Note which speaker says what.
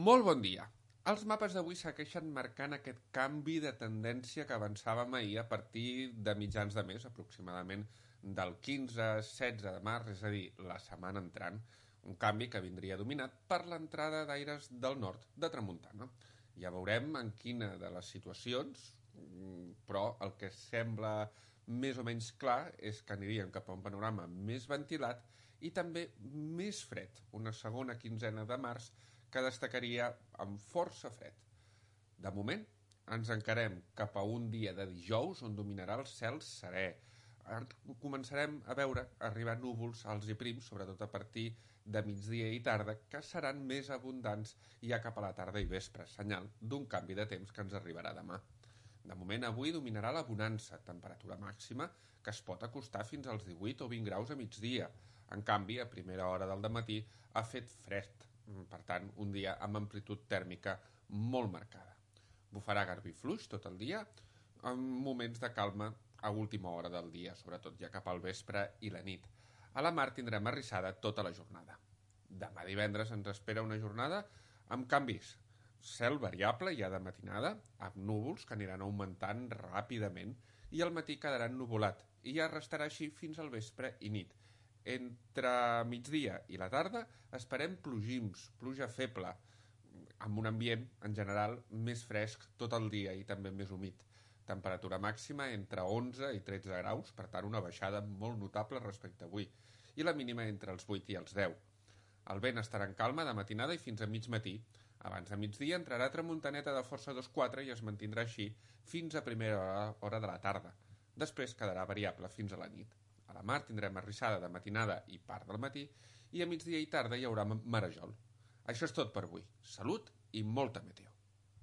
Speaker 1: Molt bon dia. Els mapes d'avui segueixen marcant aquest canvi de tendència que avançàvem ahir a partir de mitjans de mes, aproximadament del 15-16 de març, és a dir, la setmana entrant, un canvi que vindria dominat per l'entrada d'aires del nord de tramuntana. Ja veurem en quina de les situacions, però el que sembla més o menys clar és que aniríem cap a un panorama més ventilat i també més fred, una segona quinzena de març que destacaria amb força fred. De moment, ens encarem cap a un dia de dijous on dominarà el cel serè. Començarem a veure arribar núvols alts i prims, sobretot a partir de migdia i tarda, que seran més abundants ja cap a la tarda i vespre, senyal d'un canvi de temps que ens arribarà demà. De moment, avui dominarà la bonança, temperatura màxima que es pot acostar fins als 18 o 20 graus a migdia. En canvi, a primera hora del matí ha fet fred, per tant, un dia amb amplitud tèrmica molt marcada. Bufarà garbí fluix tot el dia, amb moments de calma a última hora del dia, sobretot ja cap al vespre i la nit. A la mar tindrem arrissada tota la jornada. Demà divendres ens espera una jornada amb canvis. Cel variable ja de matinada, amb núvols que aniran augmentant ràpidament i al matí quedarà ennuvolat i ja restarà així fins al vespre i nit. Entre migdia i la tarda esperem plogims, pluja feble, amb un ambient, en general, més fresc tot el dia i també més humit. Temperatura màxima entre 11 i 13 graus, per tant una baixada molt notable respecte a avui, i la mínima entre els 8 i els 10. El vent estarà en calma de matinada i fins a mig matí. Abans de migdia entrarà tramuntaneta de força 2-4 i es mantindrà així fins a primera hora de la tarda. Després quedarà variable fins a la nit. A la mar tindrem arrissada de matinada i part del matí i a migdia i tarda hi haurà marejol. Això és tot per avui. Salut i molta meteo.